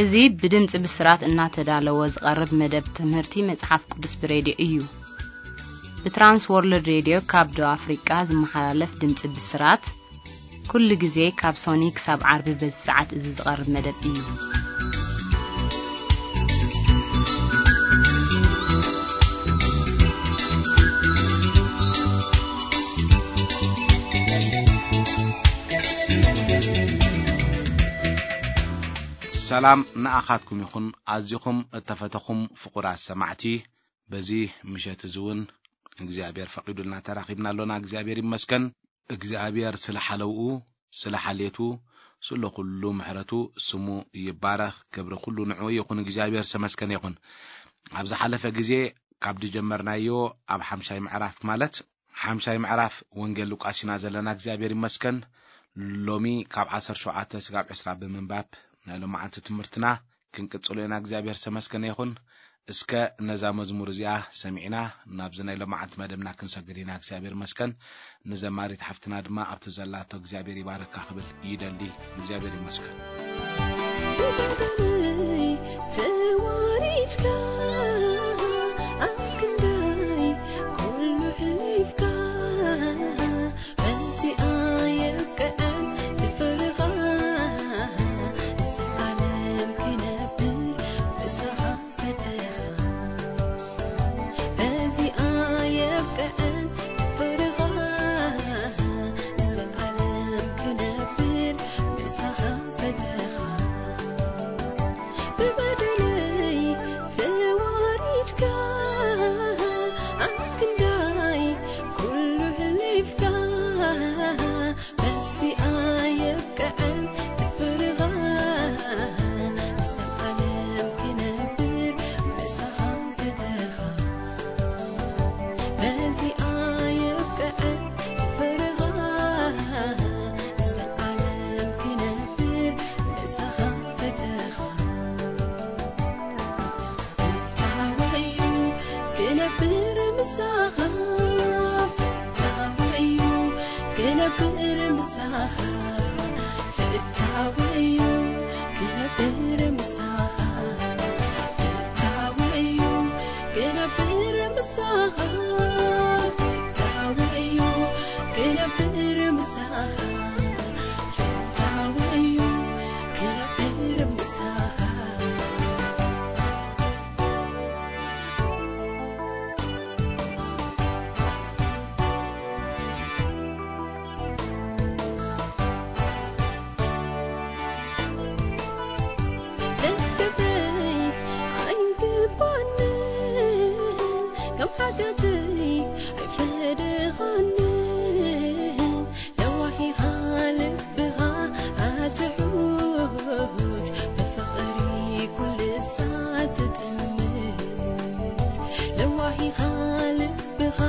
እዚ ብድምጺ ብስራት እናተዳለወ ዝቐርብ መደብ ትምህርቲ መጽሓፍ ቅዱስ ብሬድዮ እዩ። ብትራንስ ወርልድ ሬድዮ ካብ ደቡብ ኣፍሪቃ ዝመሓላለፍ ድምጺ ብስራት፣ ኩሉ ግዜ ካብ ሶኒ ክሳብ ዓርቢ በዚ ሰዓት እዚ ዝቐርብ መደብ እዩ። ሰላም ንኣኻትኩም ይኹን፣ ኣዚኹም እተፈተኹም ፍቑራት ሰማዕቲ። በዚ ምሸት እዚ እውን እግዚኣብሔር ፈቒዱልና ተራኺብና ኣሎና። እግዚኣብሔር ይመስገን። እግዚኣብሔር ስለ ሓለውኡ፣ ስለ ሓልየቱ፣ ስለ ኩሉ ምሕረቱ ስሙ ይባረኽ። ክብሪ ኩሉ ንዕኡ ይኹን። እግዚኣብሔር ዝተመስገነ ይኹን። ኣብ ዝሓለፈ ግዜ ካብ ዝጀመርናዮ ኣብ ሓምሻይ ምዕራፍ ማለት ሓምሻይ ምዕራፍ ወንጌል ሉቃስ ኢና ዘለና። እግዚኣብሔር ይመስገን። ሎሚ ካብ ዓሰርተ ሸውዓተ ስጋብ ዕስራ ብምንባብ ናይ ሎማዓንቲ ትምህርትና ክንቅጽሎ ኢና። እግዚኣብሔር ዝተመስገነ ይኹን። እስከ ነዛ መዝሙር እዚኣ ሰሚዕና ናብዚ ናይ ሎማዓንቲ መደብና ክንሰግድ ኢና። እግዚኣብሔር ይመስገን። ንዘማሪት ሓፍትና ድማ ኣብቲ ዘላቶ እግዚኣብሔር ይባረካ ክብል ይደሊ። እግዚኣብሔር ይመስገን። ብበደለይ ተዋሪድካ፣ ኣብ ክንደይ ኩሉ ሕሊፍካ፣ በዚኣ የብቅዐን ትፍርኻ፣ ዘላለም ክነብር ምሳኻ ፈተኻ። በዚኣ የብቅዐን ፍርኻ፣ ዘላለም ክነብር ምሳኻ ፈተኻ። ብበደለይ ተዋሪድካ፣ ኣብ ክንዳይ ኩሉ ሕሊፍካ፣ በዚኣ የብቅዐን ትፍርኻ፣ ዘላለም ክነብር ምሳኻ ፈተኻ። በዚኣ የብቅዐን ትፍርኻ፣ ዘላለም ክነብር ምሳኻ ፈተኻ። ፍታወዩ ክነብር ምሳኻ፣ ፍታወዩ ክነብር ምሳኻ፣ ፍታወዩ ክነብር ምሳኻ፣ ፍታወዩ ክነብር ምሳኻ፣ ፍታወዩ ክነብር ምሳኻ፣ ፍታወዩ ክነብር ምሳኻ። ክትገብረይ ኣይግባንን፣ ከም ሓጢኣተይ ኣይፈደኻንን። ለዋሂኻ ልብኻ ኣትሑት፣ ብፍቕሪ ኩሉ ሳዕ ትጥምት። ለዋሂኻ ልብኻ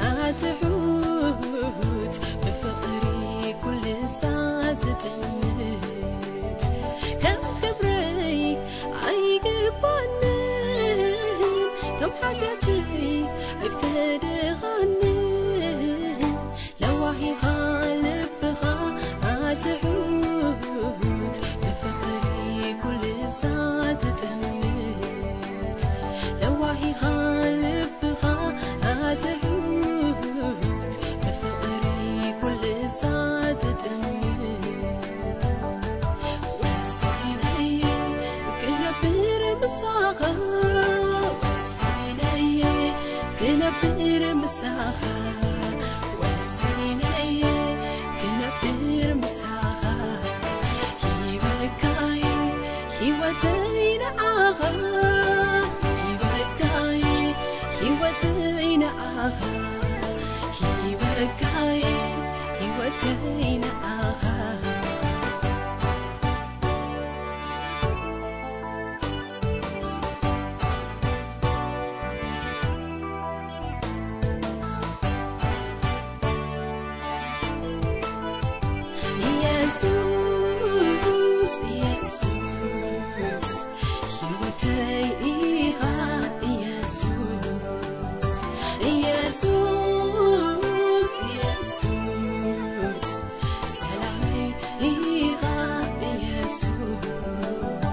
ኣትሑት፣ ብፍቕሪ ኩሉ ሳዕ ትጥምት። ከም ክብረይ ኣይግባንን፣ ከም ሓጢኣተይ ኣይፈደኻንን። ለዋሂኻ ልብኻ ኣትሑት፣ ብፍቕሪ ኩሉ ሳዕ ትጥምት። ለዋሂኻ ልብኻ ኣትሑት፣ ብፍቕሪ ኩሉ ሳዕ ትጥምት። ወሲነ እየ ክነብር ምሳኻ፣ ወሲነ እየ ክነብር ምሳኻ፣ ወሲነ እየ ክነብር ምሳኻ። ሂበካይ ህይወተይ ንዓኻ፣ ሂበካይ ህይወተይ ንዓኻ፣ ሂበካይ ህይወተይ ንዓኻ። ኢየሱስ፣ ኢየሱስ፣ ህይወተይ ኢኻ ኢየሱስ፣ ኢየሱስ፣ ኢየሱስ፣ ሰላመይ ኢኻ ኢየሱስ።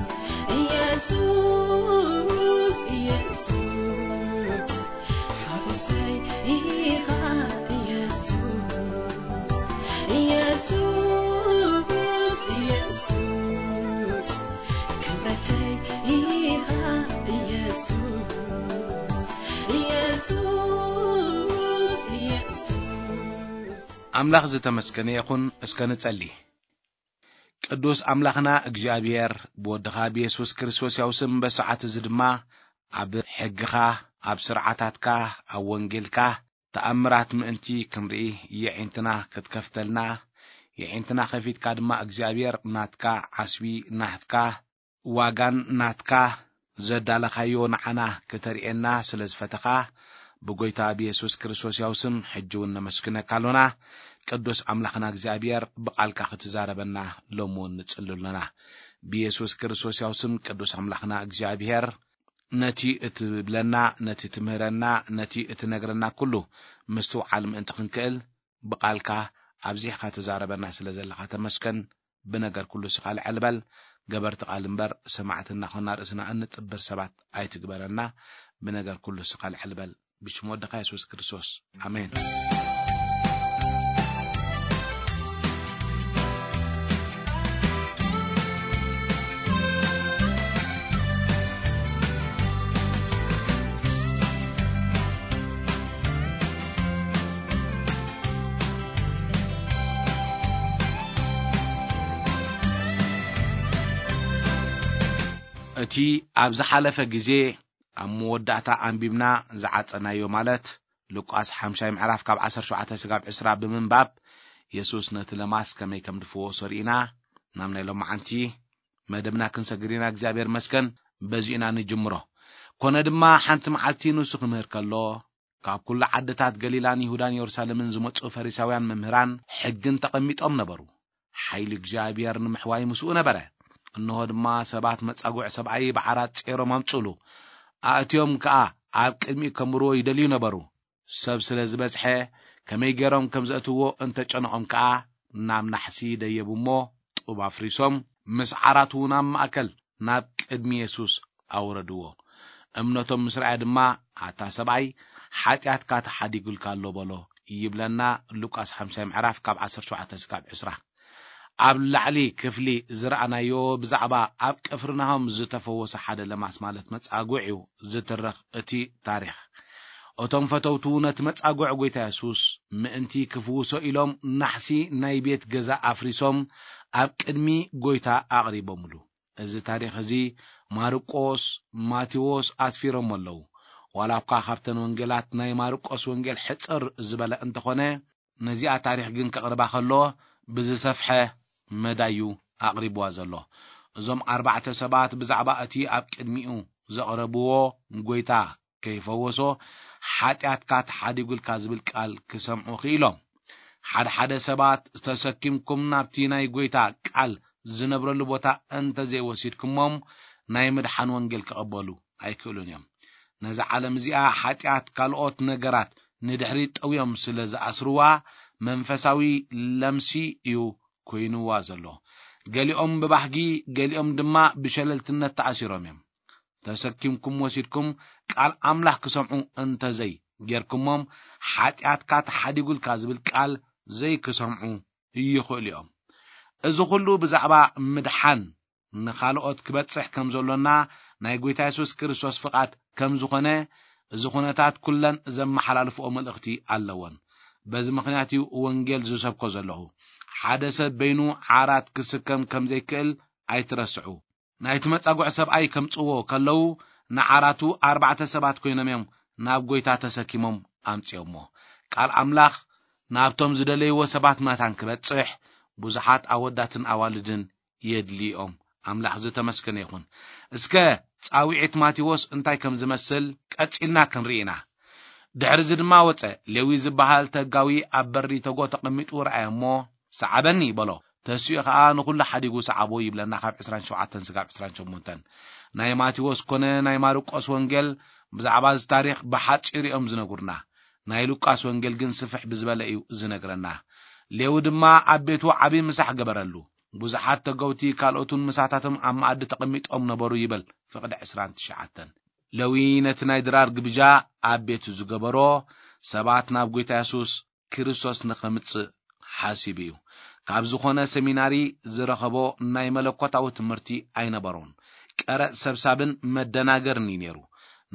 ኢየሱስ፣ ኢየሱስ፣ ክብረተይ ኢኻ ኢየሱስ፣ ኢየሱስ፣ ኢየሱስ። ኣምላኽ ዝተመስገነ ይኹን። እስከ ንጸሊ። ቅዱስ ኣምላኽና እግዚኣብሔር፣ ብወድኻ ብየሱስ ክርስቶስ ያው ስም፣ በሰዓት እዚ ድማ ኣብ ሕግኻ፣ ኣብ ስርዓታትካ፣ ኣብ ወንጌልካ ተኣምራት ምእንቲ ክንርኢ፣ የዒንትና ክትከፍተልና፣ የዒንትና ከፊትካ ድማ እግዚኣብሔር ናትካ ዓስቢ፣ ናትካ ዋጋን ናትካ ዘዳለኻዮ ንዓና ክተርእየና ስለ ዝፈተኻ፣ ብጎይታ ብየሱስ ክርስቶስ ያው ስም ሕጂ እውን ነመስግነካ ኣሎና። ቅዱስ ኣምላኽና እግዚኣብሔር፣ ብቓልካ ክትዛረበና ሎሚ እውን ንጽሊ ኣሎና። ብየሱስ ክርስቶስ ያው ስም ቅዱስ ኣምላኽና እግዚኣብሔር፣ ነቲ እትብለና፣ ነቲ ትምህረና፣ ነቲ እትነግረና ኩሉ ምስትውዓል ምእንቲ ክንክእል፣ ብቓልካ ኣብዚሕካ ትዛረበና ስለ ዘለኻ ተመስገን። ብነገር ኩሉ ስኻ ልዕል በል። ገበርቲ ቃል እምበር፣ ሰማዕቲ እናኾና ርእስና እንጥብር ሰባት ኣይትግበረና። ብነገር ኩሉ ስኻ ልዕል በል። ብሽም ወድኻ የሱስ ክርስቶስ፣ ኣሜን። እቲ ኣብ ዝሓለፈ ግዜ ኣብ መወዳእታ ኣንቢብና ዝዓጸናዮ፣ ማለት ሉቃስ ሓምሻይ ምዕራፍ ካብ ዓሰርተ ሸውዓተ ስጋብ ዕስራ ብምንባብ፣ የሱስ ነቲ ለማስ ከመይ ከም ድፈወሶ ርኢና፣ ናብ ናይ ሎማዓንቲ መደብና ክንሰግር ኢና። እግዚኣብሔር መስገን፣ በዚ ኢና ንጅምሮ። ኮነ ድማ፣ ሓንቲ መዓልቲ ንሱ ክምህር ከሎ፣ ካብ ኩሉ ዓድታት ገሊላን ይሁዳን የሩሳሌምን ዝመጹ ፈሪሳውያን መምህራን ሕግን ተቐሚጦም ነበሩ። ሓይሊ እግዚኣብሔር ንምሕዋይ ምስኡ ነበረ። እንሆ ድማ፣ ሰባት መጻጉዕ ሰብኣይ ብዓራት ጼሮም ኣምጽኡሉ። ኣእትዮም ከኣ ኣብ ቅድሚኡ ከንብርዎ ይደልዩ ነበሩ። ሰብ ስለ ዝበዝሐ፣ ከመይ ገይሮም ከም ዘእትዎ እንተጨነቖም ከኣ፣ ናብ ናሕሲ ደየቡ እሞ፣ ጡብ ኣፍሪሶም፣ ምስ ዓራቱ ናብ ማእከል ናብ ቅድሚ የሱስ ኣውረድዎ። እምነቶም ምስ ረኣየ ድማ፣ ኣታ ሰብኣይ፣ ሓጢኣትካ ተሓዲጉልካ ኣሎ በሎ፣ ይብለና ሉቃስ ሓምሻይ ምዕራፍ ካብ ዓሰርተ ሸውዓተ ስጋብ ዕስራ። ኣብ ላዕሊ ክፍሊ ዝረኣናዮ ብዛዕባ ኣብ ቅፍርናሆም ዝተፈወሰ ሓደ ለማስ፣ ማለት መጻጉዕ እዩ ዝትረኽ እቲ ታሪኽ። እቶም ፈተውቱ ነቲ መጻጉዕ ጎይታ የሱስ ምእንቲ ክፍውሶ ኢሎም ናሕሲ ናይ ቤት ገዛ ኣፍሪሶም ኣብ ቅድሚ ጎይታ ኣቕሪቦምሉ። እዚ ታሪኽ እዚ ማርቆስ፣ ማቴዎስ ኣስፊሮሞ ኣለዉ። ዋላ እኳ ካብተን ወንጌላት ናይ ማርቆስ ወንጌል ሕጽር ዝበለ እንተኾነ፣ ነዚኣ ታሪኽ ግን ከቕርባ ከሎ ብዝሰፍሐ መዳዩ ኣቕሪብዋ ዘሎ። እዞም ኣርባዕተ ሰባት ብዛዕባ እቲ ኣብ ቅድሚኡ ዘቕረብዎ ጎይታ ከይፈወሶ፣ ሓጢኣትካ ተሓዲጉልካ ዝብል ቃል ክሰምዑ ክኢሎም። ሓደ ሓደ ሰባት፣ ተሰኪምኩም ናብቲ ናይ ጎይታ ቃል ዝነብረሉ ቦታ እንተ ዘይወሲድኩሞም፣ ናይ ምድሓን ወንጌል ክቕበሉ ኣይክእሉን እዮም። ነዛ ዓለም እዚኣ ሓጢኣት፣ ካልኦት ነገራት ንድሕሪት ጠውዮም ስለ ዝኣስርዋ፣ መንፈሳዊ ለምሲ እዩ ኮይንዋ ዘሎ። ገሊኦም ብባህጊ፣ ገሊኦም ድማ ብሸለልትነት ተኣሲሮም እዮም። ተሰኪምኩም ወሲድኩም ቃል ኣምላኽ ክሰምዑ እንተዘይ ጌርኩሞም፣ ሓጢኣትካ ተሓዲጉልካ ዝብል ቃል ዘይክሰምዑ ይኽእሉ እዮም። እዚ ኹሉ ብዛዕባ ምድሓን ንኻልኦት ክበጽሕ ከም ዘሎና ናይ ጐይታ የሱስ ክርስቶስ ፍቓድ ከም ዝኾነ፣ እዚ ኹነታት ኩለን ዘመሓላልፍኦ መልእኽቲ ኣለወን። በዚ ምኽንያት እዩ ወንጌል ዝሰብኮ ዘለኹ። ሓደ ሰብ በይኑ ዓራት ክስከም ከም ዘይክእል ኣይትረስዑ። ናይቲ መጻጉዕ ሰብኣይ ከምጽዎ ከለዉ፣ ንዓራቱ ኣርባዕተ ሰባት ኮይኖም እዮም ናብ ጐይታ ተሰኪሞም ኣምጺኦሞ። ቃል ኣምላኽ ናብቶም ዝደለይዎ ሰባት መታን ክበጽሕ፣ ብዙሓት ኣወዳትን ኣዋልድን የድልዮም። ኣምላኽ ዝተመስገነ ይኹን። እስከ ጻውዒት ማቴዎስ እንታይ ከም ዝመስል ቀጺልና ክንርኢ ኢና። ድሕሪ እዚ ድማ ወጸ። ሌዊ ዝበሃል ተጋዊ ኣብ በሪ ተጎ ተቐሚጡ ረኣየ እሞ፣ "ሰዓበኒ" በሎ። ተሲኡ ኸኣ ንኹሉ ሓዲጉ ሰዓቦ ይብለና፣ ካብ ዕስራን ሸውዓተን ስጋብ ዕስራን ሸሞንተን። ናይ ማቴዎስ ኮነ ናይ ማርቆስ ወንጌል ብዛዕባ እዚ ታሪኽ ብሓጺሩ እዮም ዝነግሩና። ናይ ሉቃስ ወንጌል ግን ስፍሕ ብዝበለ እዩ ዝነግረና። ሌዊ ድማ ኣብ ቤቱ ዓቢ ምሳሕ ገበረሉ። ብዙሓት ተገውቲ ካልኦትን ምሳታቶም ኣብ መኣዲ ተቐሚጦም ነበሩ ይብል ፍቕዲ ዕስራን ትሽዓተን። ሌዊ ነቲ ናይ ድራር ግብዣ ኣብ ቤቱ ዝገበሮ፣ ሰባት ናብ ጐይታ የሱስ ክርስቶስ ንኸምጽእ ሓሲቡ እዩ። ካብ ዝኾነ ሰሚናሪ ዝረኸቦ ናይ መለኮታዊ ትምህርቲ ኣይነበሮን። ቀረጽ ሰብሳብን መደናገርን እዩ ነይሩ።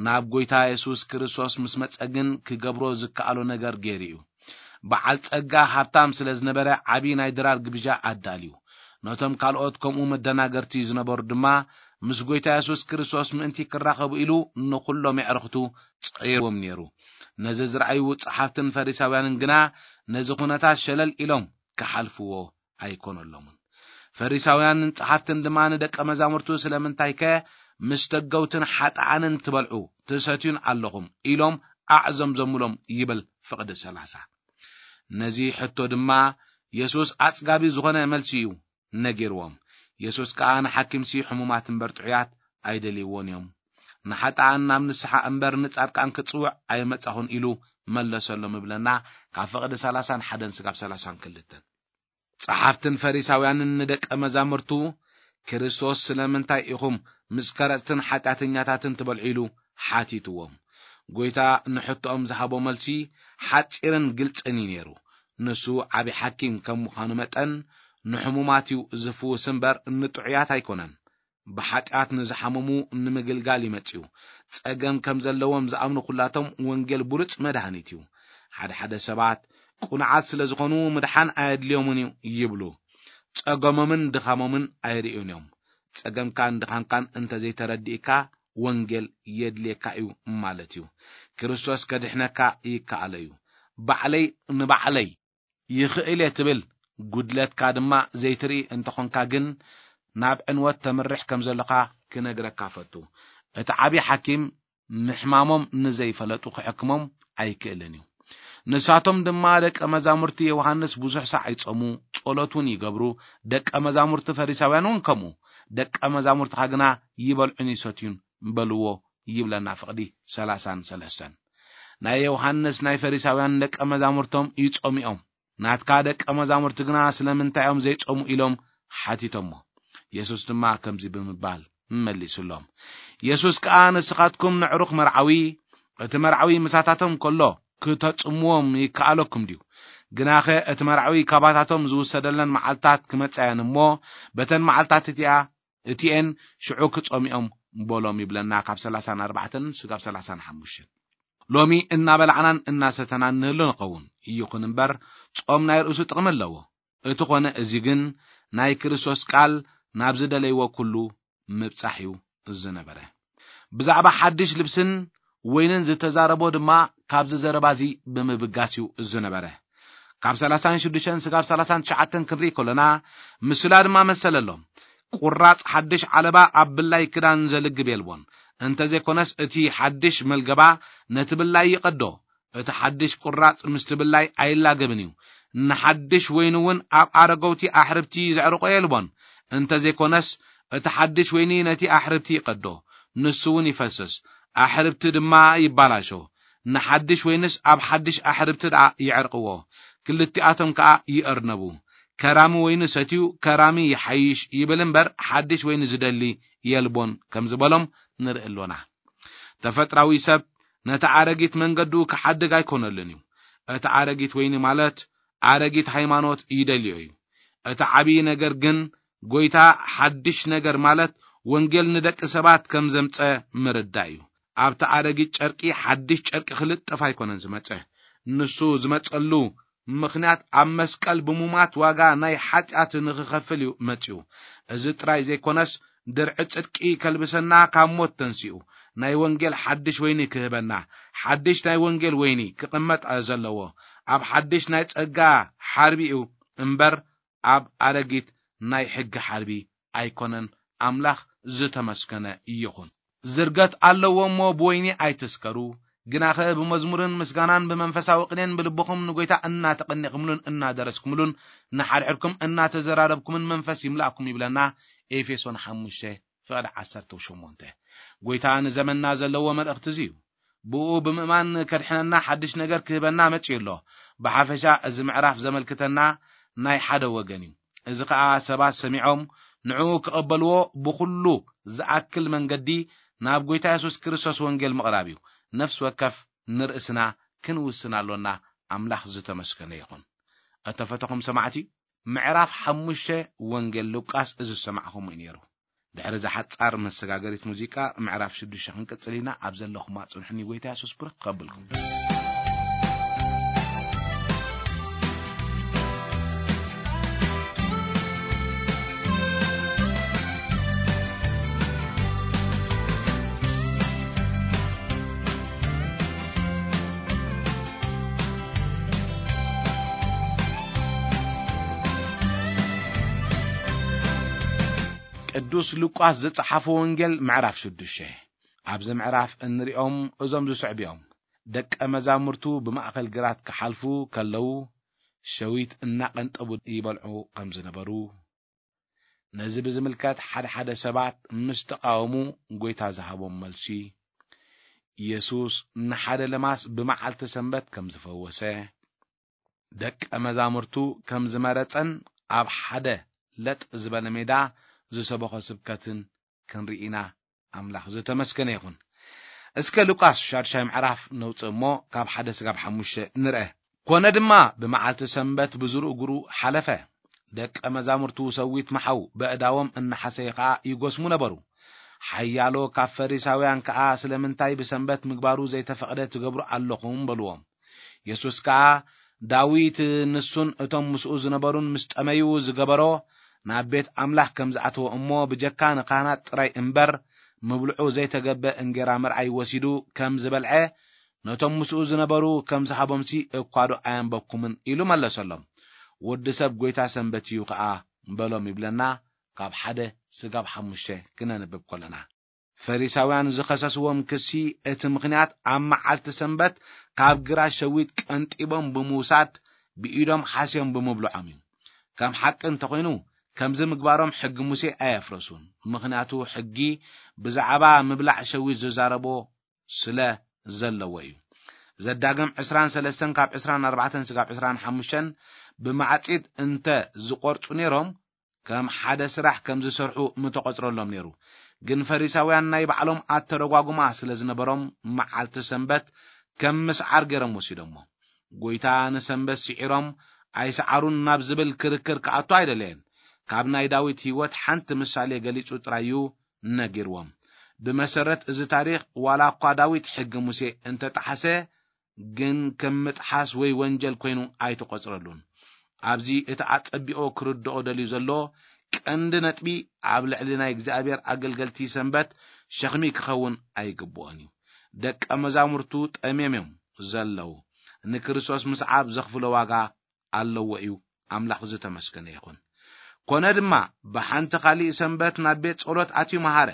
ናብ ጎይታ የሱስ ክርስቶስ ምስ መጸ ግን ክገብሮ ዝከኣሎ ነገር ገይሩ እዩ። በዓል ጸጋ ሃብታም ስለ ዝነበረ ዓቢ ናይ ድራር ግብዣ ኣዳልዩ። ነቶም ካልኦት ከምኡ መደናገርቲ ዝነበሩ ድማ ምስ ጎይታ የሱስ ክርስቶስ ምእንቲ ክራኸቡ ኢሉ ንኹሎም የዕርኽቱ ጸይርዎም ነይሩ። ነዚ ዝረኣዩ ጸሓፍትን ፈሪሳውያንን ግና ነዚ ኩነታት ሸለል ኢሎም ክሓልፍዎ ኣይኮነሎምን። ፈሪሳውያንን ጸሓፍትን ድማ ንደቀ መዛሙርቱ ስለምንታይከ ምስ ተገውትን ሓጥኣንን ትበልዑ ትሰትዩን ኣለኹም ኢሎም ኣዕዘምዘሙሎም ይብል ፍቕዲ ሰላሳ። ነዚ ሕቶ ድማ የሱስ ኣጽጋቢ ዝኾነ መልሲ እዩ ነጊርዎም። የሱስ ከኣ ንሓኪምሲ ሕሙማት እምበር ጥዑያት ኣይደልይዎን እዮም። ንሓጥኣን ናብ ንስሓ እምበር ንጻድቃን ክጽውዕ ኣይመጻኹን ኢሉ መለሰሎም ይብለና ካብ ፍቕዲ ሰላሳን ሓደን ስጋብ ሰላሳን ክልተን። ጸሓፍትን ፈሪሳውያንን ንደቀ መዛሙርቱ ክርስቶስ ስለምንታይ ኢኹም ምስ ከረጽትን ሓጢኣተኛታትን ትበልዑ ኢሉ ሓቲትዎም። ጎይታ ንሕቶኦም ዝሃቦ መልሲ ሓጺርን ግልጽን እዩ ነይሩ። ንሱ ዓቢ ሓኪም ከም ምዃኑ መጠን ንሕሙማት እዩ ዝፍውስ እምበር ንጥዑያት ኣይኮነን። ብሓጢኣት ንዝሓመሙ ንምግልጋል ይመጽኡ። ጸገም ከም ዘለዎም ዝኣምኑ ኩላቶም ወንጌል ብሉጽ መድሃኒት እዩ። ሓደ ሓደ ሰባት ቅኑዓት ስለ ዝኾኑ ምድሓን ኣየድልዮምን እዩ ይብሉ። ጸገሞምን ድኻሞምን ኣይርእዩን እዮም። ጸገምካን ድኻምካን እንተዘይተረዲእካ ወንጌል የድልየካ እዩ ማለት እዩ። ክርስቶስ ከድሕነካ ይከኣሎ እዩ። ባዕለይ ንባዕለይ ይኽእል እየ ትብል፣ ጉድለትካ ድማ ዘይትርኢ እንተኾንካ ግን ናብ ዕንወት ተምርሕ ከም ዘለኻ ክነግረካ ፈቱ። እቲ ዓቢ ሓኪም ምሕማሞም ንዘይፈለጡ ክሕክሞም ኣይክእልን እዩ። ንሳቶም ድማ ደቀ መዛሙርቲ ዮሃንስ ብዙሕ ሳዕ ይጾሙ፣ ጸሎት እውን ይገብሩ፣ ደቀ መዛሙርቲ ፈሪሳውያን እውን ከምኡ። ደቀ መዛሙርትኻ ግና ይበልዑን ይሰትዩን በልዎ ይብለና ፍቕዲ ሰላሳን ሰለስተን። ናይ ዮሃንስ ናይ ፈሪሳውያን ደቀ መዛሙርቶም ይጾሙ እዮም። ናትካ ደቀ መዛሙርቲ ግና ስለምንታይ እዮም ዘይጾሙ ኢሎም ሓቲቶሞ። የሱስ ድማ ከምዚ ብምባል መሊሱሎም። የሱስ ከኣ ንስኻትኩም ነዕሩኽ መርዓዊ፣ እቲ መርዓዊ ምሳታቶም ከሎ ክተጽምዎም ይከኣለኩም ድዩ? ግናኸ እቲ መርዓዊ ካባታቶም ዝውሰደለን መዓልታት ክመጻ እየን እሞ፣ በተን መዓልታት እቲኣ እቲኤን ሽዑ ክጾምኦም በሎም ይብለና ካብ ሰላሳን ኣርባዕተን ስጋብ ሰላሳን ሓሙሽተን። ሎሚ እናበላዕናን እናሰተናን ንህሉ ንኸውን። ይኹን እምበር ጾም ናይ ርእሱ ጥቕሚ ኣለዎ። እቲ ኾነ እዚ ግን ናይ ክርስቶስ ቃል ናብ ዝደለይዎ ኩሉ ምብጻሕ እዩ ዝነበረ። ብዛዕባ ሓድሽ ልብስን ወይንን ዝተዛረቦ ድማ ካብዚ ዘረባ እዚ ብምብጋስ እዩ ዝነበረ። ካብ ሰላሳን ሽዱሽተን ስጋብ ሰላሳን ትሽዓተን ክንርኢ ከሎና ምስላ ድማ መሰለሎም። ቁራጽ ሓድሽ ዓለባ ኣብ ብላይ ክዳን ዘልግብ የልቦን። እንተዘይኮነስ እቲ ሓድሽ መልገባ ነቲ ብላይ ይቐዶ። እቲ ሓድሽ ቁራጽ ምስቲ ብላይ ኣይላገብን እዩ። ንሓድሽ ወይኒ እውን ኣብ ኣረገውቲ ኣሕርብቲ ዘዕርቆ የልቦን። እንተዘይኮነስ እቲ ሓድሽ ወይኒ ነቲ ኣሕርብቲ ይቐዶ፣ ንሱ እውን ይፈስስ፣ ኣሕርብቲ ድማ ይባላሾ። ንሓድሽ ወይንስ ኣብ ሓድሽ ኣሕርብቲ ደኣ ይዕርቅዎ፣ ክልቲኣቶም ከኣ ይእርነቡ። ከራሚ ወይኒ ሰትዩ ከራሚ ይሓይሽ ይብል እምበር ሓድሽ ወይኒ ዝደሊ የልቦን ከም ዝበሎም ንርኢ ኣሎና። ተፈጥራዊ ሰብ ነቲ ኣረጊት መንገዱ ክሓድግ ኣይኮነሉን እዩ። እቲ ኣረጊት ወይኒ ማለት ኣረጊት ሃይማኖት ይደልዮ እዩ። እቲ ዓብዪ ነገር ግን ጎይታ ሓድሽ ነገር ማለት ወንጌል ንደቂ ሰባት ከም ዘምጸ ምርዳእ እዩ። ኣብቲ ኣረጊት ጨርቂ ሓድሽ ጨርቂ ክልጠፍ ኣይኮነን ዝመጸ። ንሱ ዝመጸሉ ምኽንያት ኣብ መስቀል ብሙማት ዋጋ ናይ ሓጢኣት ንኽኸፍል እዩ መጺኡ። እዚ ጥራይ ዘይኮነስ ድርዒ ጽድቂ ከልብሰና ካብ ሞት ተንሲኡ ናይ ወንጌል ሓድሽ ወይኒ ክህበና። ሓድሽ ናይ ወንጌል ወይኒ ክቕመጥ ዘለዎ ኣብ ሓድሽ ናይ ጸጋ ሓርቢ እዩ እምበር ኣብ ኣረጊት ናይ ሕጊ ሓርቢ ኣይኮነን። ኣምላኽ ዝተመስገነ ይኹን። ዝርገት ኣለዎ እሞ ብወይኒ ኣይትስከሩ፣ ግናኸ ብመዝሙርን ምስጋናን ብመንፈሳዊ ቅኔን ብልብኹም ንጎይታ እናተቐኒቕምሉን እናደረስኩምሉን ንሓድሕድኩም እናተዘራረብኩምን መንፈስ ይምላእኩም ይብለና ኤፌሶን ሓሙሽተ ፍቕዲ ዓሰርተ ሸሞንተ። ጎይታ ንዘመንና ዘለዎ መልእኽቲ እዚ እዩ። ብኡ ብምእማን ከድሕነና ሓድሽ ነገር ክህበና መጺኡ ኣሎ። ብሓፈሻ እዚ ምዕራፍ ዘመልክተና ናይ ሓደ ወገን እዩ። እዚ ኸኣ ሰባት ሰሚዖም ንዕኡ ክቐበልዎ ብኹሉ ዝኣክል መንገዲ ናብ ጎይታ የሱስ ክርስቶስ ወንጌል ምቕራብ እዩ። ነፍሲ ወከፍ ንርእስና ክንውስን ኣሎና። ኣምላኽ ዝተመስገነ ይኹን። እተፈተኹም ሰማዕቲ፣ ምዕራፍ ሓሙሽተ ወንጌል ሉቃስ እዚ ዝሰማዕኹም እዩ ነይሩ። ድሕሪ እዛ ሓጻር መሰጋገሪት ሙዚቃ፣ ምዕራፍ ሽዱሽተ ክንቅጽል ኢና። ኣብ ዘለኹማ ጽንሑኒ፣ ጎይታ የሱስ ብሩኽ ከብልኩም። ቅዱስ ሉቃስ ዝጸሓፎ ወንጌል ምዕራፍ ሽዱሽተ። ኣብዚ ምዕራፍ እንሪኦም እዞም ዝስዕቡ እዮም። ደቀ መዛሙርቱ ብማእከል ግራት ክሓልፉ ከለዉ፣ ሸዊት እናቐንጠቡ ይበልዑ ከም ዝነበሩ፣ ነዚ ብዝምልከት ሓደ ሓደ ሰባት ምስ ተቓወሙ፣ ጎይታ ዝሃቦም መልሲ፣ የሱስ ንሓደ ለማስ ብመዓልቲ ሰንበት ከም ዝፈወሰ፣ ደቀ መዛሙርቱ ከም ዝመረጸን ኣብ ሓደ ለጥ ዝበለ ሜዳ ዝሰበኾ ስብከትን ክንርኢ ኢና። ኣምላኽ ዝተመስገነ ይኹን። እስከ ሉቃስ ሻድሻይ ምዕራፍ ነውጽእ እሞ፣ ካብ ሓደ ስጋብ ሓሙሽተ ንርአ። ኮነ ድማ፣ ብመዓልቲ ሰንበት ብዙሩ እግሩ ሓለፈ። ደቀ መዛሙርቱ ሰዊት መሓው በእዳዎም እናሓሰየ ኸኣ ይጎስሙ ነበሩ። ሓያሎ ካብ ፈሪሳውያን ከኣ፣ "ስለምንታይ ብሰንበት ምግባሩ ዘይተፈቕደ ትገብሩ ኣለኹም?" በልዎም። የሱስ ከኣ፣ "ዳዊት ንሱን እቶም ምስኡ ዝነበሩን ምስ ጠመዩ ዝገበሮ፣ ናብ ቤት ኣምላኽ ከም ዝኣተወ እሞ፣ ብጀካ ንካህናት ጥራይ እምበር፣ ምብልዑ ዘይተገብእ እንጌራ ምርኣይ ወሲዱ ከም ዝበልዐ፣ ነቶም ምስኡ ዝነበሩ ከም ዝሃቦምሲ እኳ ዶ ኣየንበብኩምን?" ኢሉ መለሰሎም። "ወዲ ሰብ ጐይታ ሰንበት እዩ ኸኣ በሎም" ይብለና፣ ካብ ሓደ ስጋብ ሓሙሽተ ክነንብብ ከለና። ፈሪሳውያን ዝኸሰስዎም ክሲ፣ እቲ ምኽንያት ኣብ መዓልቲ ሰንበት ካብ ግራት ሸዊት ቀንጢቦም ብምውሳድ፣ ብኢዶም ሓስዮም ብምብልዖም እዩ። ከም ሓቂ እንተኾይኑ፣ ከምዚ ምግባሮም ሕጊ ሙሴ ኣየፍረሱን። ምኽንያቱ፣ ሕጊ ብዛዕባ ምብላዕ ሸዊት ዝዛረቦ ስለ ዘለዎ እዩ። ዘዳግም ዕስራን ሰለስተን ካብ ዕስራን ኣርባዕተን ስጋብ ዕስራን ሓሙሽተን፣ ብማዕጺድ እንተ ዝቖርጹ ነይሮም፣ ከም ሓደ ስራሕ ከም ዝሰርሑ ምተቖጽረሎም ነይሩ። ግን ፈሪሳውያን ናይ ባዕሎም ኣተረጓጉማ ስለ ዝነበሮም፣ መዓልቲ ሰንበት ከም ምስዓር ገይሮም ወሲዶሞ። ጐይታ ንሰንበት ስዒሮም ኣይሰዓሩን ናብ ዝብል ክርክር ክኣቱ ኣይደለየን። ካብ ናይ ዳዊት ህይወት ሓንቲ ምሳሌ ገሊጹ ጥራይ እዩ ነጊርዎም። ብመሰረት እዚ ታሪኽ፣ ዋላ እኳ ዳዊት ሕጊ ሙሴ እንተጠሓሰ፣ ግን ከም ምጥሓስ ወይ ወንጀል ኮይኑ ኣይተቖጽረሉን። ኣብዚ እቲ ኣጸቢቑ ክርድኦ ደልዩ ዘሎ ቀንዲ ነጥቢ፣ ኣብ ልዕሊ ናይ እግዚኣብሔር ኣገልገልቲ ሰንበት ሸኽሚ ክኸውን ኣይግብኦን እዩ። ደቀ መዛሙርቱ ጠምዮም እዮም ዘለዉ። ንክርስቶስ ምስዓብ ዘኽፍሎ ዋጋ ኣለዎ እዩ። ኣምላኽ ዝተመስገነ ይኹን። ኮነ ድማ፣ ብሓንቲ ካሊእ ሰንበት ናብ ቤት ጸሎት ኣትዩ መሃረ።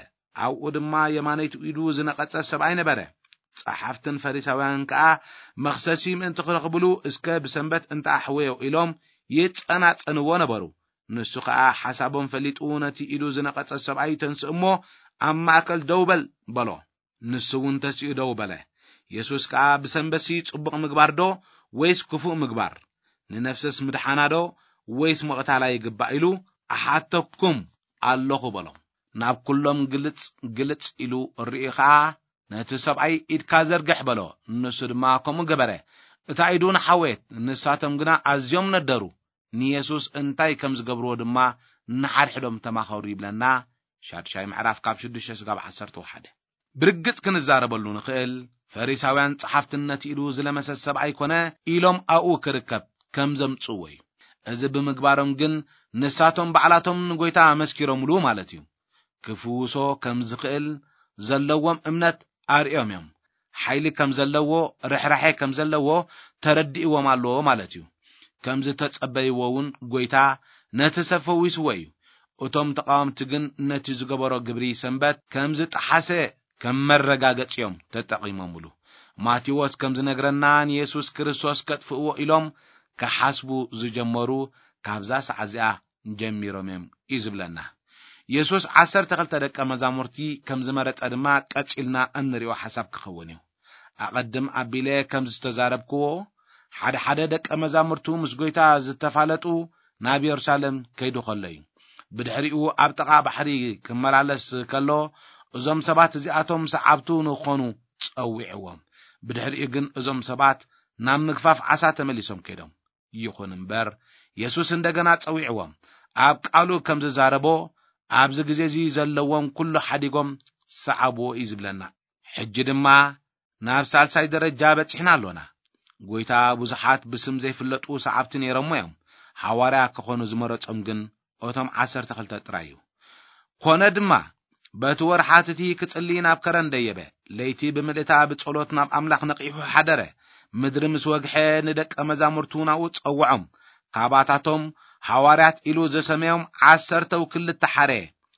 ኣብኡ ድማ የማነይቲ ኢዱ ዝነቐጸ ሰብኣይ ነበረ። ጸሓፍትን ፈሪሳውያንን ከኣ መኽሰሲ ምእንቲ ክረኽብሉ፣ "እስከ ብሰንበት እንተኣሕወዮ" ኢሎም ይጸናጸንዎ ነበሩ። ንሱ ከኣ ሓሳቦም ፈሊጡ፣ ነቲ ኢዱ ዝነቐጸ ሰብኣይ ተንስእ እሞ ኣብ ማእከል ደው በል በሎ። ንሱ እውን ተሲኡ ደው በለ። የሱስ ከኣ፣ "ብሰንበትሲ ጽቡቕ ምግባር ዶ ወይስ ክፉእ ምግባር? ንነፍስስ ምድሓና ዶ ወይስ ምቕታላ ይግባእ?" ኢሉ፣ "እሓተኩም ኣለኹ" በሎ። ናብ ኩሎም ግልጽ ግልጽ ኢሉ ርእዩ ኸኣ፣ "ነቲ ሰብኣይ ኢድካ ዘርግሕ" በሎ። ንሱ ድማ ከምኡ ገበረ። እታ ኢዱ ንሓወየት፣ ንሳቶም ግና ኣዝዮም ነደሩ። ንየሱስ እንታይ ከም ዝገብርዎ ድማ ንሓድሕዶም ተማኸሩ ይብለና። ሻድሻይ ምዕራፍ ካብ ሽዱሽተ ስጋብ ዓሰርተ ሓደ። ብርግጽ ክንዛረበሉ ንኽእል፣ ፈሪሳውያን ጸሓፍትን ነቲ ኢዱ ዝለመሰ ሰብኣይ ኮነ ኢሎም ኣብኡ ክርከብ ከም ዘምጽእዎ እዩ። እዚ ብምግባሮም ግን ንሳቶም ባዕላቶም ንጎይታ ኣመስኪሮምሉ ማለት እዩ። ክፍውሶ ከም ዝኽእል ዘለዎም እምነት ኣርእዮም እዮም። ሓይሊ ከም ዘለዎ፣ ርሕራሐ ከም ዘለዎ ተረዲእዎም ኣሎ ማለት እዩ። ከም ዝተጸበይዎ እውን ጎይታ ነቲ ሰብ ፈዊስዎ እዩ። እቶም ተቓወምቲ ግን ነቲ ዝገበሮ ግብሪ ሰንበት ከም ዝጠሓሰ ከም መረጋገጺ እዮም ተጠቒሞምሉ። ማቴዎስ ከም ዝነግረና፣ ንየሱስ ክርስቶስ ከጥፍእዎ ኢሎም ክሓስቡ ዝጀመሩ ካብዛ ሰዓት እዚኣ ጀሚሮም እዮም እዩ ዝብለና። የሱስ ዓሰርተ ክልተ ደቀ መዛሙርቲ ከም ዝመረጸ ድማ ቀጺልና እንሪኦ ሓሳብ ክኸውን እዩ። ኣቐድም ኣቢለ ከም ዝተዛረብክዎ፣ ሓደ ሓደ ደቀ መዛሙርቱ ምስ ጎይታ ዝተፋለጡ ናብ የሩሳሌም ከይዱ ከሎ እዩ። ብድሕሪኡ ኣብ ጥቓ ባሕሪ ክመላለስ ከሎ፣ እዞም ሰባት እዚኣቶም ሰዓብቱ ንኽኾኑ ጸዊዕዎም። ብድሕሪኡ ግን እዞም ሰባት ናብ ምግፋፍ ዓሳ ተመሊሶም ከይዶም። ይኹን እምበር፣ የሱስ እንደገና ጸዊዕዎም፣ ኣብ ቃሉ ከም ዝዛረቦ፣ ኣብዚ ግዜ እዚ ዘለዎም ኩሉ ሓዲጎም ሰዓብዎ እዩ ዝብለና። ሕጂ ድማ ናብ ሳልሳይ ደረጃ በጺሕና ኣሎና። ጎይታ ብዙሓት ብስም ዘይፍለጡ ሰዓብቲ ነይሮሞ እዮም። ሓዋርያ ክኾኑ ዝመረጾም ግን እቶም ዓሰርተ ክልተ ጥራይ እዩ። ኮነ ድማ፣ በቲ ወርሓት እቲ ክጽሊ ናብ ከረን ደየበ። ለይቲ ብምልእታ ብጸሎት ናብ ኣምላኽ ነቒሑ ሓደረ። ምድሪ ምስ ወግሐ፣ ንደቀ መዛሙርቱ ናብኡ ጸውዖም። ካባታቶም ሓዋርያት ኢሉ ዝሰመዮም ዓሰርተው ክልተ ሓረ።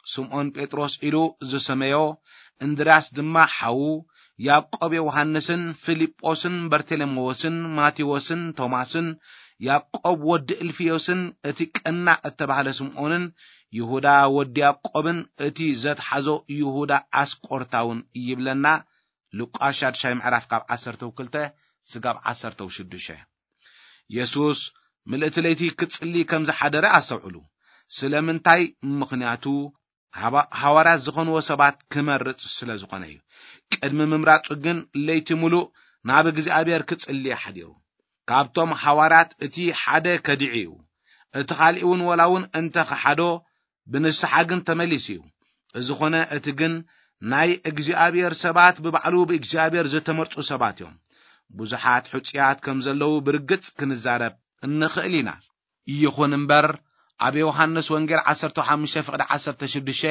ስምዖን ጴጥሮስ ኢሉ ዝሰመዮ፣ እንድርያስ ድማ ሓዉ፣ ያዕቆብ ዮሃንስን ፊልጶስን በርቴሌሜዎስን ማቴዎስን ቶማስን ያዕቆብ ወዲ እልፍዮስን እቲ ቀናእ እተባህለ ስምዖንን ይሁዳ ወዲ ያዕቆብን እቲ ዘትሓዞ ይሁዳ ኣስቆርታውን ይብለና። ሉቃስ ሻድሻይ ምዕራፍ ካብ ዓሰርተው ክልተ ስጋብ ዓሰርተው ሽዱሽተ። የሱስ ምልእቲ ለይቲ ክጽሊ ከም ዝሓደረ ኣስተውዕሉ። ስለምንታይ? ምኽንያቱ ሃባ-፣ ሃዋርያት ዝኾንዎ ሰባት ክመርጽ ስለ ዝኾነ እዩ። ቅድሚ ምምራጹ ግን ለይቲ ምሉእ ናብ እግዚኣብሔር ክጽሊ ሓዲሩ። ካብቶም ሃዋርያት እቲ ሓደ ከዲዑ እዩ። እቲ ካልእ እውን ወላ እውን እንተ ኸሓዶ፣ ብንስሓ ግን ተመሊሱ እዩ። እዚ ኾነ እቲ ግን ናይ እግዚኣብሔር ሰባት ብባዕሉ ብእግዚኣብሔር ዝተመርጹ ሰባት እዮም። ብዙሓት ሕጹያት ከም ዘለዉ ብርግጽ ክንዛረብ እንኽእል ኢና። ይኹን እምበር፣ ኣብ ዮሃንስ ወንጌል ዓሰርተ ሓሙሽተ ፍቕዲ ዓሰርተ ሽዱሽተ፣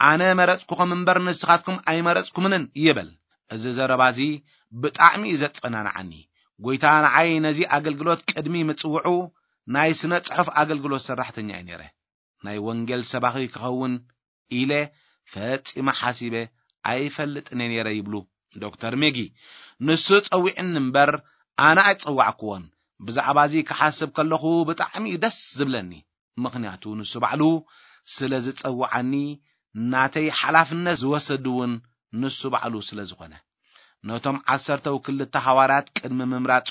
"ኣነ መረጽኩኹም እምበር ንስኻትኩም ኣይመረጽኩምንን" ይብል። እዚ ዘረባ እዚ ብጣዕሚ እዩ ዘጸናንዓኒ። ጎይታ ንዓይ ነዚ ኣገልግሎት ቅድሚ ምጽውዑ ናይ ስነ ጽሑፍ ኣገልግሎት ሰራሕተኛ እየ ነይረ። ናይ ወንጌል ሰባኺ ክኸውን ኢለ ፈጺመ ሓሲበ ኣይፈልጥን እየ ነይረ ይብሉ ዶክተር ሜጊ። ንሱ ጸዊዕኒ እምበር ኣነ ኣይጸዋዕክዎን። ብዛዕባ እዚ ክሓስብ ከለኹ ብጣዕሚ እዩ ደስ ዝብለኒ። ምኽንያቱ ንሱ ባዕሉ ስለ ዝጸውዓኒ፣ ናተይ ሓላፍነት ዝወሰድ እውን ንሱ ባዕሉ ስለ ዝኾነ። ነቶም ዓሰርተው ክልተ ሃዋርያት ቅድሚ ምምራጹ፣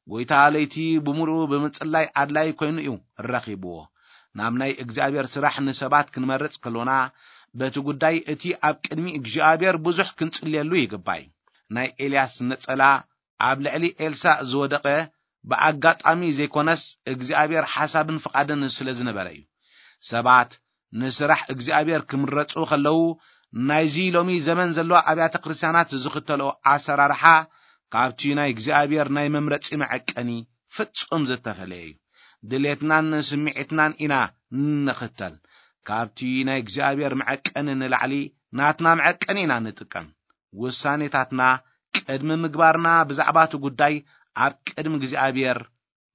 ጎይታ ለይቲ ብምሉኡ ብምጽላይ ኣድላይ ኮይኑ እዩ ረኺብዎ። ናብ ናይ እግዚኣብሔር ስራሕ ንሰባት ክንመርጽ ከሎና፣ በቲ ጉዳይ እቲ ኣብ ቅድሚ እግዚኣብሔር ብዙሕ ክንጽልየሉ ይግባይ። ናይ ኤልያስ ነጸላ ኣብ ልዕሊ ኤልሳእ ዝወደቐ ብኣጋጣሚ ዘይኮነስ፣ እግዚኣብሔር ሓሳብን ፍቓድን ስለ ዝነበረ እዩ። ሰባት ንስራሕ እግዚኣብሔር ክምረጹ ከለዉ፣ ናይዚ ሎሚ ዘመን ዘለዋ ኣብያተ ክርስቲያናት ዝኽተልኦ ኣሰራርሓ፣ ካብቲ ናይ እግዚኣብሔር ናይ መምረጺ መዐቀኒ ፍጹም ዝተፈለየ እዩ። ድሌትናን ስምዒትናን ኢና ንኽተል። ካብቲ ናይ እግዚኣብሔር መዐቀኒ ንላዕሊ ናትና መዐቀኒ ኢና ንጥቀም። ውሳኔታትና ቅድሚ ምግባርና፣ ብዛዕባ እቲ ጉዳይ ኣብ ቅድሚ እግዚኣብሔር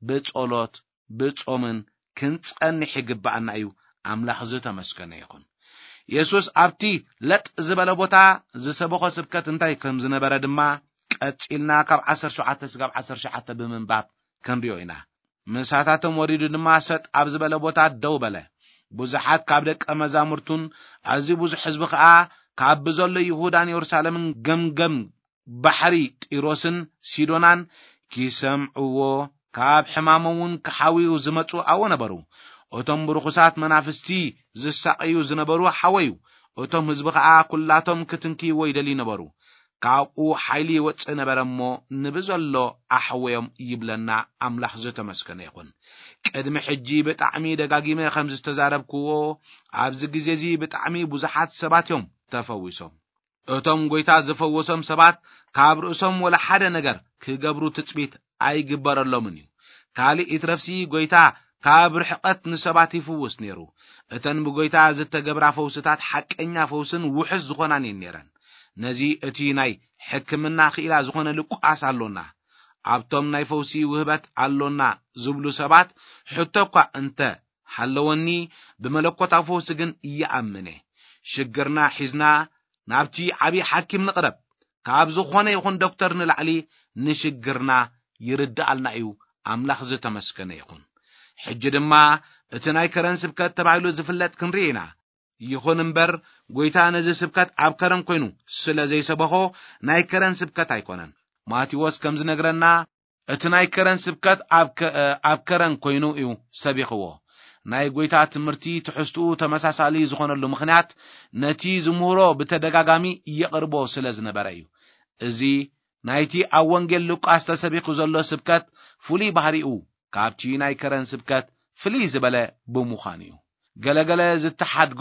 ብጸሎት ብጾምን ክንጸንሕ ይግብኣና እዩ። ኣምላኽ ዝተመስገነ ይኹን። የሱስ ኣብቲ ለጥ ዝበለ ቦታ ዝሰበኾ ስብከት እንታይ ከም ዝነበረ ድማ ቀጺልና ካብ ዓሰርተ ሸውዓተ ስጋብ ዓሰርተ ትሽዓተ ብምንባብ ክንሪኦ ኢና። ምሳታቶም ወሪዱ ድማ ሰጥ ኣብ ዝበለ ቦታ ደው በለ። ብዙሓት ካብ ደቀ መዛሙርቱን ኣዝዩ ብዙሕ ህዝቢ ኸኣ ካብ ብዘሎ ይሁዳን የሩሳሌምን ገምገም ባሕሪ ጢሮስን ሲዶናን ኪሰምዕዎ፣ ካብ ሕማሞም እውን ክሓውዩ ዝመጹ ኣብኡ ነበሩ። እቶም ብርኹሳት መናፍስቲ ዝሳቐዩ ዝነበሩ ሓወዩ። እቶም ህዝቢ ኸኣ ኲላቶም ክትንክይዎ ይደልዩ ነበሩ። ካብኡ ሓይሊ ይወጽእ ነበረ እሞ፣ ንብዘሎ ኣሕወዮም ይብለና ኣምላኽ ዝተመስገነ ይኹን። ቅድሚ ሕጂ ብጣዕሚ ደጋጊመ ከም ዝተዛረብክዎ፣ ኣብዚ ግዜ እዚ ብጣዕሚ ብዙሓት ሰባት እዮም ተፈዊሶም። እቶም ጐይታ ዝፈወሶም ሰባት ካብ ርእሶም ወላ ሓደ ነገር ክገብሩ ትጽቢት ኣይግበረሎምን እዩ። ካልእ ይትረፍሲ ጐይታ ካብ ርሕቐት ንሰባት ይፍውስ ነይሩ። እተን ብጐይታ ዝተገብራ ፈውስታት ሓቀኛ ፈውስን ውሑስ ዝኾናን እየን ነይረን። ነዚ እቲ ናይ ሕክምና ክኢላ ዝኾነ ሉቃስ ኣሎና። ኣብቶም ናይ ፈውሲ ውህበት ኣሎና ዝብሉ ሰባት ሕቶ እኳ እንተ ሃለወኒ፣ ብመለኮታዊ ፈውሲ ግን ይኣምን እየ። ሽግርና ሒዝና ናብቲ ዓብዪ ሓኪም ንቕረብ። ካብ ዝኾነ ይኹን ዶክተር ንላዕሊ ንሽግርና ይርድኣልና እዩ። ኣምላኽ ዝተመስገነ ይኹን። ሕጂ ድማ እቲ ናይ ከረን ስብከት ተባሂሉ ዝፍለጥ ክንርኢ ኢና። ይኹን እምበር፣ ጐይታ ነዚ ስብከት ኣብ ከረን ኮይኑ ስለ ዘይሰበኾ፣ ናይ ከረን ስብከት ኣይኮነን። ማቴዎስ ከም ዝነግረና፣ እቲ ናይ ከረን ስብከት ኣብ ከ-፣ ኣብ ከረን ኮይኑ እዩ ሰቢኽዎ። ናይ ጐይታ ትምህርቲ ትሕዝትኡ ተመሳሳሊ ዝኾነሉ ምኽንያት፣ ነቲ ዝምህሮ ብተደጋጋሚ የቕርቦ ስለ ዝነበረ እዩ። እዚ ናይቲ ኣብ ወንጌል ሉቃስ ተሰቢኹ ዘሎ ስብከት ፍሉይ ባህሪኡ፣ ካብቲ ናይ ከረን ስብከት ፍልይ ዝበለ ብምዃኑ እዩ። ገለገለ ዝተሓድጉ፣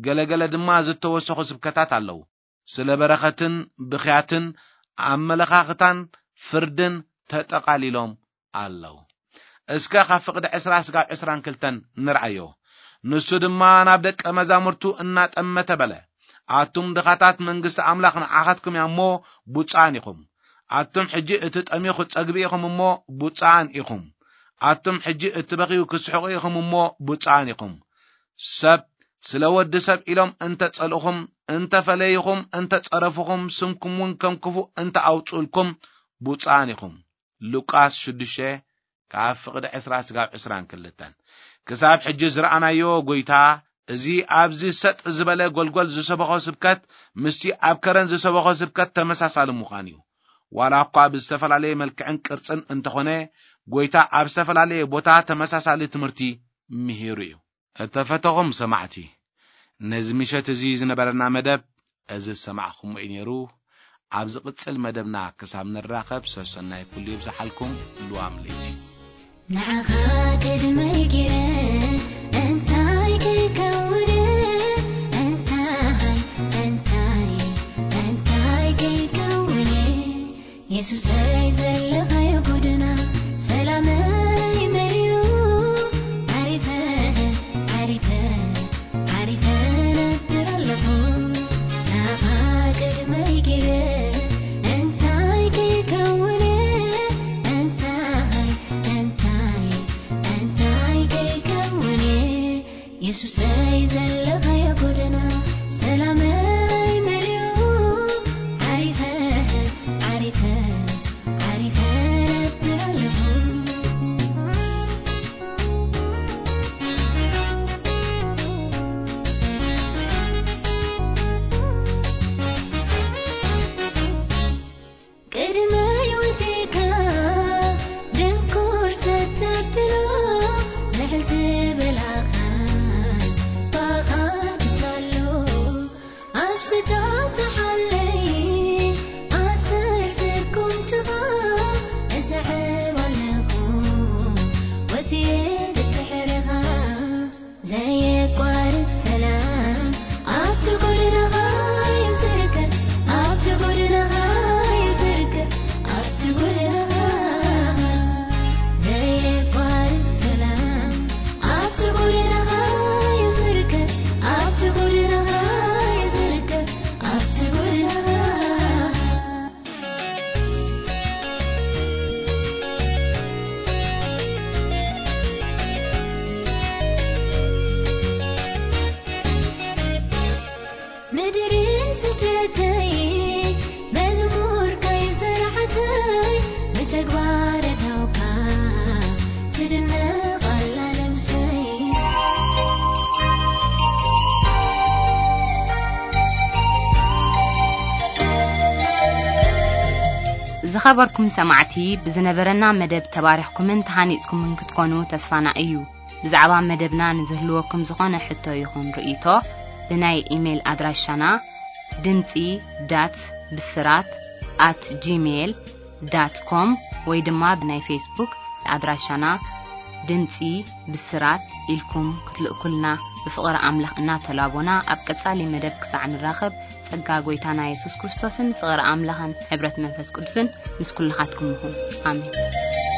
ገለገለ ድማ ዝተወሰኹ ስብከታት ኣለዉ። ስለ በረኸትን ብኽያትን ኣመለኻኽታን ፍርድን ተጠቓሊሎም ኣለዉ። እስከ ካብ ፍቕዲ ዕስራ ስጋብ ዕስራን ክልተን ንርኣዮ። ንሱ ድማ ናብ ደቀ መዛሙርቱ እናጠመተ በለ፣ ኣቱም ድኻታት መንግስቲ ኣምላኽ ንዓኻትኩም እያ እሞ ብፁዓን ኢኹም። ኣቱም ሕጂ እትጠምዩ ክትጸግቡ ኢኹም እሞ ብፁዓን ኢኹም። ኣቱም ሕጂ እትበኽዩ ክትስሕቑ ኢኹም እሞ ብፁዓን ኢኹም። ሰብ ስለ ወዲ ሰብ ኢሎም እንተ ጸልእኹም፣ እንተ ፈለይኹም፣ እንተ ጸረፍኹም፣ ስምኩም እውን ከም ክፉእ እንተ ኣውጽኡልኩም ብፁዓን ኢኹም። ሉቃስ ሽዱሽተ ካብ ፍቕዲ ዕስራ ስጋብ ዕስራን ክልተን። ክሳብ ሕጂ ዝረኣናዮ ጎይታ፣ እዚ ኣብዚ ሰጥ ዝበለ ጎልጎል ዝሰበኾ ስብከት ምስቲ ኣብ ከረን ዝሰበኾ ስብከት ተመሳሳሊ ምዃን እዩ። ዋላ እኳ ብዝተፈላለየ መልክዕን ቅርጽን እንተኾነ፣ ጎይታ ኣብ ዝተፈላለየ ቦታ ተመሳሳሊ ትምህርቲ ምሂሩ እዩ። እተፈተኹም ሰማዕቲ፣ ነዚ ምሸት እዚ ዝነበረና መደብ እዚ ዝሰማዕኹምዎ እዩ ነይሩ። ኣብ ዝቕጽል መደብና ክሳብ ንራኸብ፣ ሰሰናይ ኩሉ ይብዝሓልኩም። ልዋም ለይቲ። ንዓኻ ቅድመይ ገይረ እንታይ ከይከውን፣ እንታይ፣ እንታይ፣ እንታይ ከይከውን፣ የሱሰይ ዘለኻዮ ጎደና ሰላመይ መሊኡ፣ ዓሪፈ፣ ዓሪፈ፣ ዓሪፈ ነብር ኣለኹ። ናኻ ቅድመይ ገይረ እንታይ ከይከውን፣ እንታይ፣ እንታይ፣ እንታይ ከይከውን፣ የሱሰይ ዘለኻዮ ጎደና ሰላመይ መሊኡ፣ ዓሪፈ፣ ዓሪፈ፣ ዓሪፈ ነብር ኣለኹ። ቅድመይ ወጺእካ ድንኩር ሰተብሎ፣ ልዕል ዝበላኻ ባኻ ክሳሎ፣ ኣብ ስታ ተሓለይ ኣሰር ስጉምትኻ እስዕብ ኣለኹ፣ ወጺኤ ድድሕርኻ። ዘየቋርጽ ሰላም ኣብቲ ጎደናኻ እዩ ዝርከብ፣ ኣብቲ ጎደናኻ እዩ ዝርከብ፣ ኣብቲ ጎደናኻ። ዘየቋርጽ ሰላም ኣብቲ ጎደናኻ እዩ ዝርከብ፣ ኣብቲ ጎደናኻ እዩ ዝርከብ፣ ኣብቲ ጎደናኻ። ምድርን ስደተይ መዝሙር ከይዘርዓተይ፣ ብተግባር እታውካ ትድነቕ ኣላ ነብሰይ። ዝኸበርኩም ሰማዕቲ፣ ብዝነበረና መደብ ተባሪኽኩምን ተሃኒጽኩምን ክትኮኑ ተስፋና እዩ። ብዛዕባ መደብና ንዝህልወኩም ዝኾነ ሕቶ ይኹን ርእይቶ፣ ብናይ ኢሜይል ኣድራሻና ድምጺ ዳት ብስራት ኣት ጂሜይል ዳት ኮም ወይ ድማ ብናይ ፌስቡክ ኣድራሻና ድምጺ ብስራት ኢልኩም ክትልእኩልና ብፍቕሪ ኣምላኽ እናተላቦና፣ ኣብ ቀጻሊ መደብ ክሳዕ ንራኸብ፣ ጸጋ ጐይታና የሱስ ክርስቶስን ፍቕሪ ኣምላኽን ሕብረት መንፈስ ቅዱስን ምስ ኩልኻትኩም ይኹን። ኣሜን።